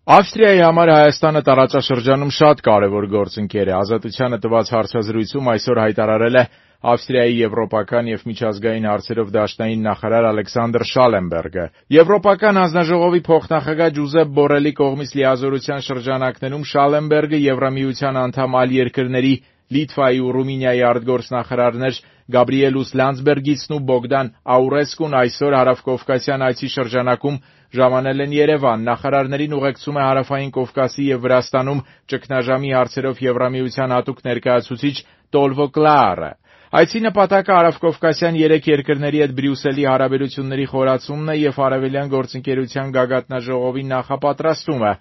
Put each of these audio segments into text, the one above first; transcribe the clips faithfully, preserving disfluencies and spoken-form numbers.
Ավստրիայի համար Հայաստանը տարածաշրջանում շատ կարևոր գործընկեր է։ Ազատությանը տված հարցազրույցում այսօր հայտարարել է Ավստրիայի եվրոպական և միջազգային հարցերով դաշնային նախարար Ալեքսանդր Շալենբերգը։ Եվրոպական հանձնաժողովի փոխնախագահ Ջուզեպ Բորելի կողմից լիազորության շրջանակներում Շալենբերգը Եվրամիության անդամ այլ երկրների Լիտվայի ու Ռումինիայի արտգործնախարարներ Գաբրիելուս Լանdsբերգիցն ու Բոգդան Աուրեսկուն այսօր հարավկովկասյան այցի շրջանակում ժամանել են Երևան։ Նախարարներին ուղեկցում է Հարավային Կովկասի և Վրաստանում ճգնաժամի հարցերով Եվրամիության հատուկ ներկայացուցիչ Տոլվո Կլաարը։ Այցի նպատակը հարավկովկասյան երեք երկրների հետ Բրյուսելի հարաբերությունների խորացումն է և Արևելյան գործընկերության գագաթնաժողովի նախապատրաստումը,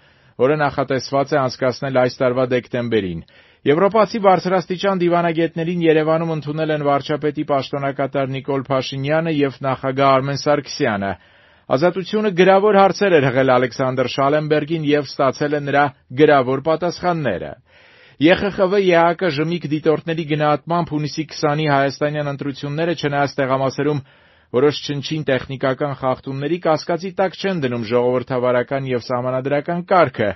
որը նախատեսված է անցկացնել այս տարվա դեկտեմբերին։ Եվրոպացի բարձրաստիճան դիվանագետներին Երևանում ընդունել են վարչապետի պաշտոնակատար Նիկոլ Փաշինյանը և նախագահ Արմեն Սարգսյանը։ Ազատությունը գրավոր հարցեր էր հղել Ալեքսանդր Շալենբերգին և ստացել է նրա գրավոր պատասխանները։ Է Խ Խ V-ԵՀԿ ժմիկ դիտորդների գնահատմամբ հունիսի քսանի հայաստանյան ընտրությունները, չնայած տեղամասերում որոշ չնչին տեխնիկական խախտումների, կասկածի տակ չեն դնում ժողովրդավարական և սահմանադրական կարգը։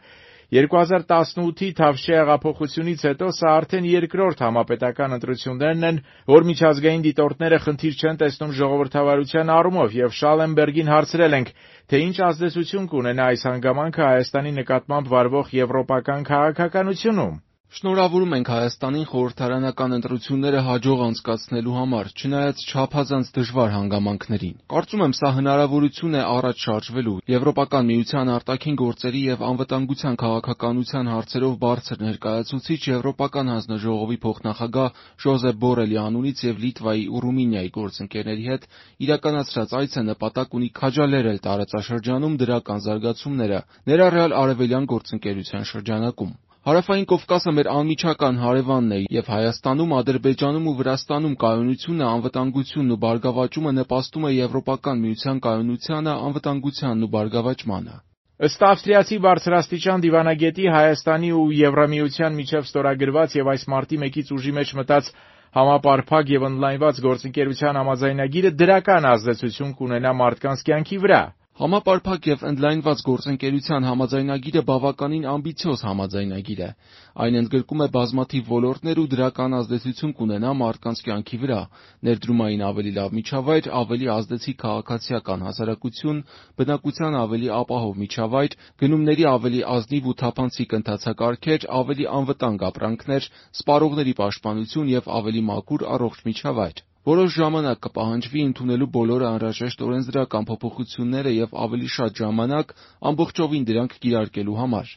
երկու հազար տասնութի Թավշյա հեղափոխությունից հետո սա արդեն երկրորդ համապետական ընտրություններն են, որ միջազգային դիտորդները խնդիր չեն տեսնում ժողովրդավարության առումով, և Շալենբերգին հարցրել ենք, թե ինչ ազդեցություն կունենա այս հանգամանքը Հայաստանի նկատմամբ վարվող եվրոպական քաղաքականությունում։ Շնորհավորում ենք Հայաստանին խորհրդարանական ընտրությունները հաջող անցկացնելու համար, չնայած չափազանց դժվար հանգամանքներին։ Կարծում եմ, սա հնարավորություն է առաջ շարժվելու։ Եվրոպական միության արտաքին գործերի և անվտանգության քաղաքականության հարցերով բարձր ներկայացուցիչ Եվրոպական հանձնաժողովի փոխնախագահ Ջոզեպ Բորելի անունից և Լիտվայի ու Ռումինիայի գործընկերների հետ իրականացրած այցը նպատակ ունի քաջալերել տարածաշրջանում դրական զարգացումները, ներառյալ արևելյան գործընկերության շրջանակում։ Հարավային Կովկասը մեր անմիջական հարևանն է, և Հայաստանում, Ադրբեջանում ու Վրաստանում կայունությունը, անվտանգությունն ու բարգավաճումը նպաստում է Եվրոպական միության կայունությանը, անվտանգությանն ու բարգավաճմանը։ Ըստ ավստրիացի բարձրաստիճան դիվանագետի, Հայաստանի ու Եվրամիության միջև ստորագրված և այս մարտի մեկից ուժի մեջ մտած համապարփակ և ընդլայնված գործընկերության համաձայնագիրը դրական ազդեցություն կունենա մարդկանց կյանքի վրա։ Համապարփակ և ընդլայնված գործընկերության համաձայնագիրը բավականին ամբիցիոզ համաձայնագիր է։ Այն ընդգրկում է բազմաթիվ ոլորտներ ու դրական ազդեցություն կունենա մարդկանց կյանքի վրա՝ ներդրումային ավելի լավ միջավայր, ավելի ազդեցիկ քաղաքացիական հասարակություն, բնակության ավելի ապահով միջավայր, գնումների ավելի ազնիվ ու թափանցիկ ընթացակարգեր, ավելի անվտանգ ապրանքներ, սպառողների պաշտպանություն և ավելի մաքուր, առողջ միջավայր։ Որոշ ժամանակ կպահանջվի ընդունելու բոլոր անհրաժեշտ օրենսդրական փոփոխությունները և ավելի շատ ժամանակ ամբողջովին դրանք կիրարկելու համար։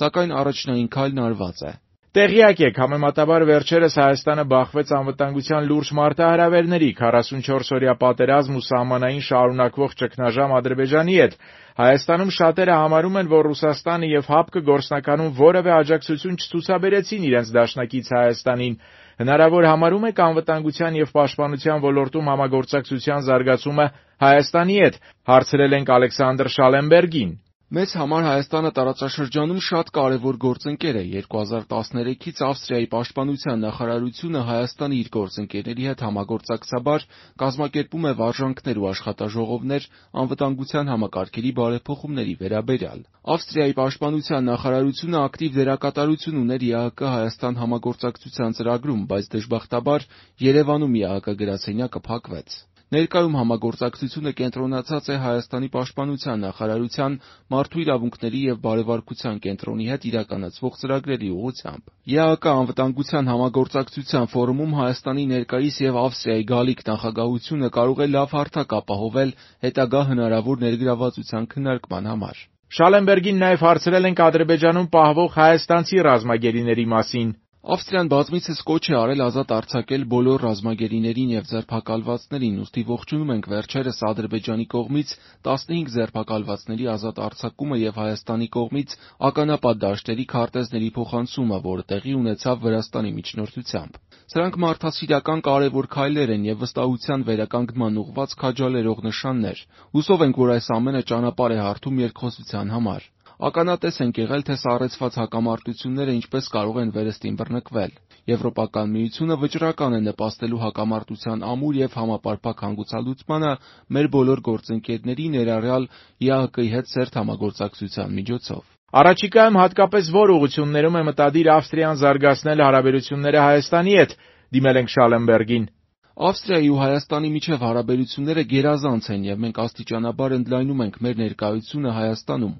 Սակայն առաջնային քայլն արված է։ Տեղյակ եք, համեմատաբար վերջերս Հայաստանը բախվեց անվտանգության լուրջ մարտահրավերների՝ քառասունչորս օրյա պատերազմ ու սահմանային շարունակվող ճգնաժամ Ադրբեջանի հետ։ Հայաստանում շատերը համարում են, որ Ռուսաստանը և ՀԱՊԿ-ը գործնականում որևէ աջակցություն չցուցաբերեցին իրենց դաշնակից Հայաստանին։ Հնարավոր համարում եք անվտանգության և պաշտպանության ոլորտում համագործակցության զարգացումը Հայաստանի հետ։ Հարցրել ենք Ալեքսանդր Շալենբերգին։ Մեզ համար Հայաստանը տարածաշրջանում շատ կարևոր գործընկեր է։ երկու հազար տասներեքից Ավստրիայի պաշտպանության նախարարությունը Հայաստանի իր գործընկերների հետ համագործակցաբար կազմակերպում է վարժանքներ ու աշխատաժողովներ անվտանգության համակարգերի բարեփոխումների վերաբերյալ։ Ավստրիայի պաշտպանության նախարարությունը ակտիվ դերակատարություն ուներ Է Հ Կ Հայաստան համագործակցության ծրագրում, բայց դժբախտաբար Երևանում Է Հ Կ գրասենյակը փակվեց։ Ներկայում համագործակցությունը կենտրոնացած է Հայաստանի պաշտպանության նախարարության մարդու իրավունքների և բարևարքության կենտրոնի հետ իրականացվող ծրագրերի ուղղությամբ։ Է Հ Կ անվտանգության համագործակցության ֆորումում Հայաստանի ներկայիս և Ավստրիայի գալիք նախագահությունը կարող է լավ հարթակ ապահովել հետագա հնարավոր ներգրավվածության քննարկման համար։ Շալենբերգին նաև հարցրել ենք Ադրբեջանում պահվող հայաստանցի ռազմագերիների մասին։ Ավստրիան բազմիցս կոչ է արել ազատ արձակել բոլոր ռազմագերիներին և ձերբակալվածներին, ուստի ողջունում ենք վերջերս Ադրբեջանի կողմից տասնհինգ ձերբակալվածների ազատ արձակումը և Հայաստանի կողմից ականապատ դաշտերի քարտեզների փոխանցումը, որը տեղի ունեցավ Վրաստանի միջնորդությամբ։ Սրանք մարդասիրական կարևոր քայլեր են և վստահության վերականգնման ուղղված քաջալերող նշաններ։ Հուսով ենք, որ այս ամենը ճանապարհ է հարթում երկխոսության համար։ Ականատես ենք եղել, թե սառեցված հակամարտությունները ինչպես կարող են վերստին բռնկվել։ Եվրոպական միությունը վճռական է նպաստելու հակամարտության ամուր և համապարփակ հանգուցալուծմանը մեր բոլոր գործընկերների, ներառյալ Է Հ Կ-ի հետ սերտ համագործակցության միջոցով։ Առաջիկայում հատկապես որ ուղղություններում է մտադիր Ավստրիան զարգացնել հարաբերությունները Հայաստանի հետ, դիմել ենք Շալենբերգին: Ավստրիայի ու Հայաստանի միջև հարաբերությունները գերազանց են եւ մենք աստիճանաբար ընդլայնում ենք մեր ներկայությունը Հայաստանում: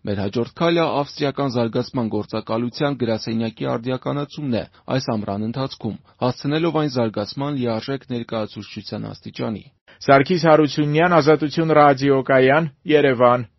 Մեր հաջորդ քայլը ավստրիական զարգացման գործակալության գրասենյակի արդիականացումն է այս ամռան ընթացքում, հասցնելով այն զարգացման լիարժեք ներկայացուցչության աստիճանի: Սարգիս Հարությունյան, Ազատություն ռադիոկայան, Երևան: